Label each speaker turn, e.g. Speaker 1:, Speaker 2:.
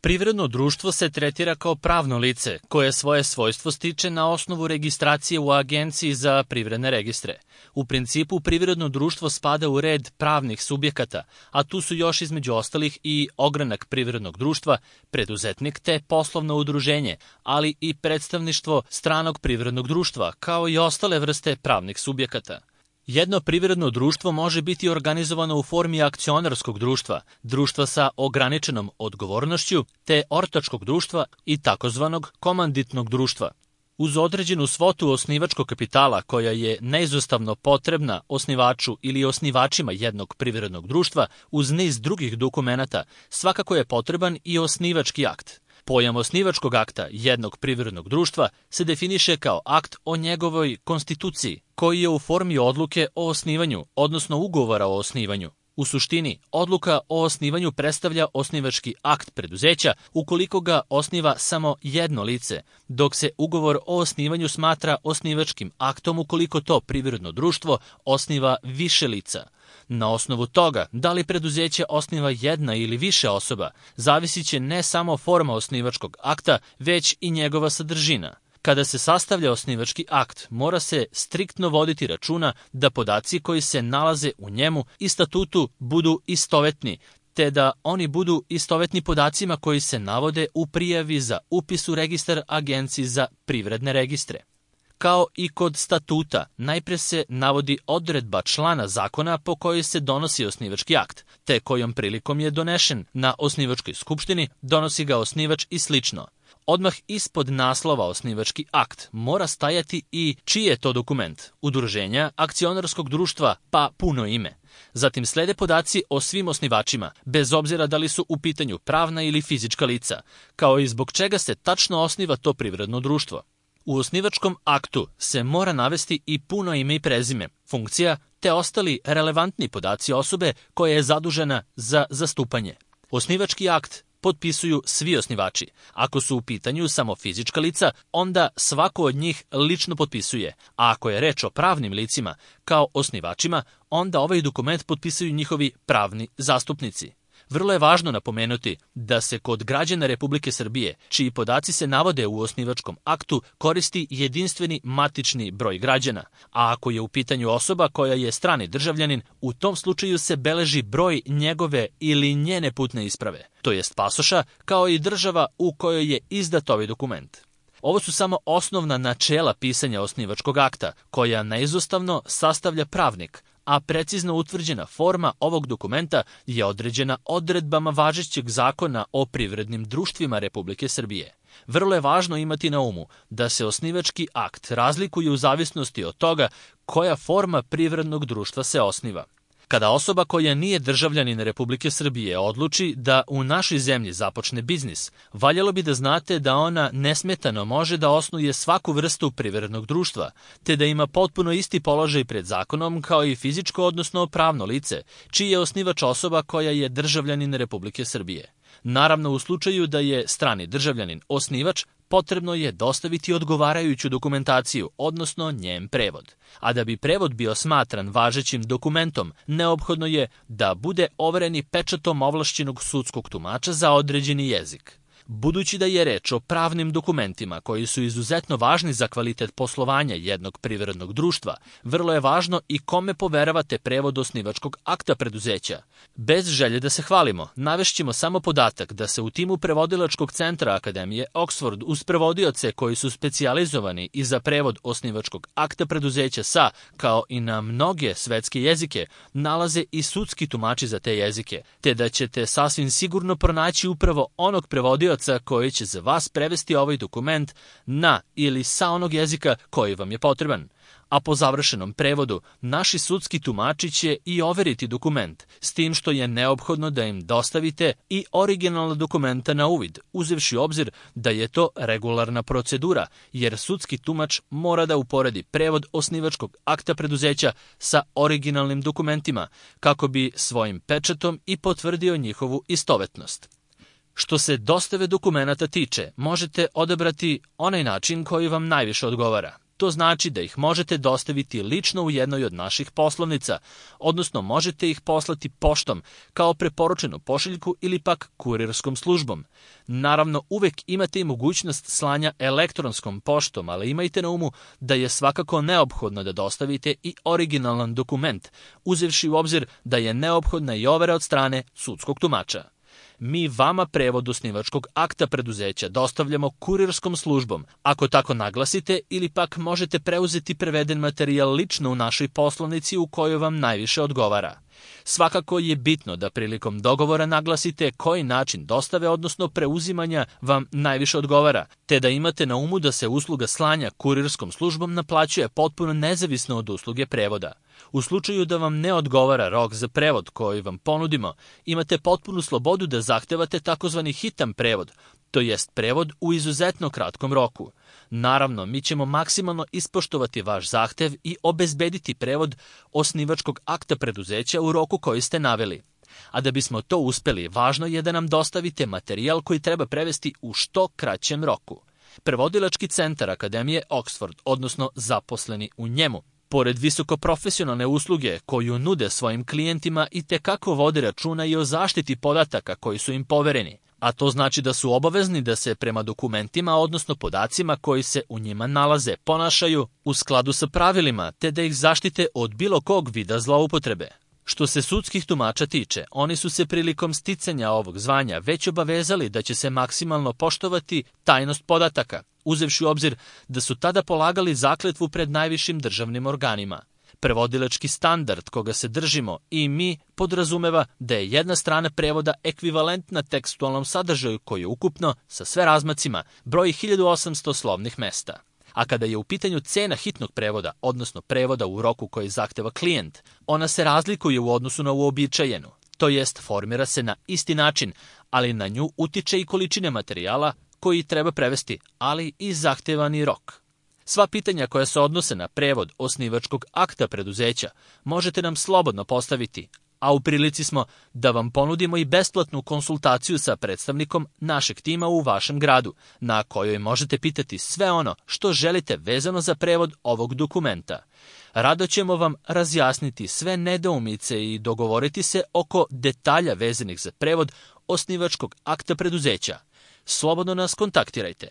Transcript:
Speaker 1: Privredno društvo se tretira kao pravno lice, koje svoje svojstvo stiče na osnovu registracije u Agenciji za privredne registre. U principu, privredno društvo spada u red pravnih subjekata, a tu su još između ostalih i ogranak privrednog društva, preduzetnik te poslovno udruženje, ali i predstavništvo stranog privrednog društva, kao i ostale vrste pravnih subjekata. Jedno privredno društvo može biti organizovano u formi akcionarskog društva, društva sa ograničenom odgovornošću, te ortačkog društva i takozvanog komanditnog društva. Uz određenu svotu osnivačkog kapitala koja je neizostavno potrebna osnivaču ili osnivačima jednog privrednog društva, uz niz drugih dokumenata, svakako je potreban i osnivački akt. Pojam osnivačkog akta jednog privrednog društva se definiše kao akt o njegovoj konstituciji, koji je u formi odluke o osnivanju, odnosno ugovora o osnivanju. U suštini, odluka o osnivanju predstavlja osnivački akt preduzeća ukoliko ga osniva samo jedno lice, dok se ugovor o osnivanju smatra osnivačkim aktom ukoliko to privredno društvo osniva više lica. Na osnovu toga, da li preduzeće osniva jedna ili više osoba, zavisit će ne samo forma osnivačkog akta, već i njegova sadržina. Kada se sastavlja osnivački akt, mora se striktno voditi računa da podaci koji se nalaze u njemu i statutu budu istovetni, te da oni budu istovetni podacima koji se navode u prijavi za upis u registar Agenciji za privredne registre. Kao i kod statuta, najpre se navodi odredba člana zakona po kojoj se donosi osnivački akt, te kojom prilikom je donešen na osnivačkoj skupštini, donosi ga osnivač i slično. Odmah ispod naslova osnivački akt mora stajati i čiji je to dokument, udruženja, akcionarskog društva, pa puno ime. Zatim slede podaci o svim osnivačima, bez obzira da li su u pitanju pravna ili fizička lica, kao i zbog čega se tačno osniva to privredno društvo. U osnivačkom aktu se mora navesti i puno ime i prezime, funkcija, te ostali relevantni podaci osobe koja je zadužena za zastupanje. Osnivački akt potpisuju svi osnivači. Ako su u pitanju samo fizička lica, onda svako od njih lično potpisuje, a ako je reč o pravnim licima kao osnivačima, onda ovaj dokument potpisuju njihovi pravni zastupnici. Vrlo je važno napomenuti da se kod građana Republike Srbije, čiji podaci se navode u osnivačkom aktu, koristi jedinstveni matični broj građana, a ako je u pitanju osoba koja je strani državljanin, u tom slučaju se beleži broj njegove ili njene putne isprave, to jest pasoša, kao i država u kojoj je izdat ovaj dokument. Ovo su samo osnovna načela pisanja osnivačkog akta, koja neizostavno sastavlja pravnik, a precizno utvrđena forma ovog dokumenta je određena odredbama važećeg zakona o privrednim društvima Republike Srbije. Vrlo je važno imati na umu da se osnivački akt razlikuje u zavisnosti od toga koja forma privrednog društva se osniva. Kada osoba koja nije državljanin Republike Srbije odluči da u našoj zemlji započne biznis, valjalo bi da znate da ona nesmetano može da osnuje svaku vrstu privrednog društva, te da ima potpuno isti položaj pred zakonom kao i fizičko odnosno pravno lice, čiji je osnivač osoba koja je državljanin Republike Srbije. Naravno, u slučaju da je strani državljanin osnivač, potrebno je dostaviti odgovarajuću dokumentaciju, odnosno njen prevod. A da bi prevod bio smatran važećim dokumentom, neophodno je da bude overen i pečatom ovlašćenog sudskog tumača za određeni jezik. Budući da je reč o pravnim dokumentima koji su izuzetno važni za kvalitet poslovanja jednog privrednog društva, vrlo je važno i kome poveravate prevod osnivačkog akta preduzeća. Bez želje da se hvalimo, navešćemo samo podatak da se u timu prevodilačkog centra Akademije Oxford uz prevodioce koji su specijalizovani i za prevod osnivačkog akta preduzeća sa, kao i na mnoge svetske jezike, nalaze i sudski tumači za te jezike, te da ćete sasvim sigurno pronaći upravo onog prevodioca koji će za vas prevesti ovaj dokument na ili sa onog jezika koji vam je potreban. A po završenom prevodu, naši sudski tumači će i overiti dokument, s tim što je neophodno da im dostavite i originalna dokumenta na uvid, uzevši obzir da je to regularna procedura, jer sudski tumač mora da uporedi prevod osnivačkog akta preduzeća sa originalnim dokumentima, kako bi svojim pečatom i potvrdio njihovu istovetnost. Što se dostave dokumenata tiče, možete odabrati onaj način koji vam najviše odgovara. To znači da ih možete dostaviti lično u jednoj od naših poslovnica, odnosno možete ih poslati poštom kao preporučenu pošiljku ili pak kurirskom službom. Naravno, uvek imate i mogućnost slanja elektronskom poštom, ali imajte na umu da je svakako neophodno da dostavite i originalan dokument, uzevši u obzir da je neophodna i overa od strane sudskog tumača. Mi vama prevod osnivačkog akta preduzeća dostavljamo kurirskom službom, ako tako naglasite, ili pak možete preuzeti preveden materijal lično u našoj poslovnici u kojoj vam najviše odgovara. Svakako je bitno da prilikom dogovora naglasite koji način dostave, odnosno preuzimanja vam najviše odgovara, te da imate na umu da se usluga slanja kurirskom službom naplaćuje potpuno nezavisno od usluge prevoda. U slučaju da vam ne odgovara rok za prevod koji vam ponudimo, imate potpunu slobodu da zahtevate takozvani hitan prevod, to jest prevod u izuzetno kratkom roku. Naravno, mi ćemo maksimalno ispoštovati vaš zahtev i obezbediti prevod osnivačkog akta preduzeća u roku koji ste naveli. A da bismo to uspeli, važno je da nam dostavite materijal koji treba prevesti u što kraćem roku. Prevodilački centar Akademije Oxford, odnosno zaposleni u njemu, pored visokoprofesionalne usluge koju nude svojim klijentima, i tekako vode računa i o zaštiti podataka koji su im povereni, a to znači da su obavezni da se prema dokumentima, odnosno podacima koji se u njima nalaze, ponašaju u skladu sa pravilima, te da ih zaštite od bilo kog vida zloupotrebe. Što se sudskih tumača tiče, oni su se prilikom sticanja ovog zvanja već obavezali da će se maksimalno poštovati tajnost podataka, uzevši u obzir da su tada polagali zakletvu pred najvišim državnim organima. Prevodilački standard koga se držimo i mi podrazumeva da je jedna strana prevoda ekvivalentna tekstualnom sadržaju koji je ukupno, sa sve razmacima, broji 1800 slovnih mesta. A kada je u pitanju cena hitnog prevoda, odnosno prevoda u roku koji zahteva klijent, ona se razlikuje u odnosu na uobičajenu, to jest formira se na isti način, ali na nju utiče i količine materijala koji treba prevesti, ali i zahtevani rok. Sva pitanja koja se odnose na prevod osnivačkog akta preduzeća možete nam slobodno postaviti, a u prilici smo da vam ponudimo i besplatnu konsultaciju sa predstavnikom našeg tima u vašem gradu, na kojoj možete pitati sve ono što želite vezano za prevod ovog dokumenta. Rado ćemo vam razjasniti sve nedoumice i dogovoriti se oko detalja vezanih za prevod osnivačkog akta preduzeća. Slobodno nas kontaktirajte.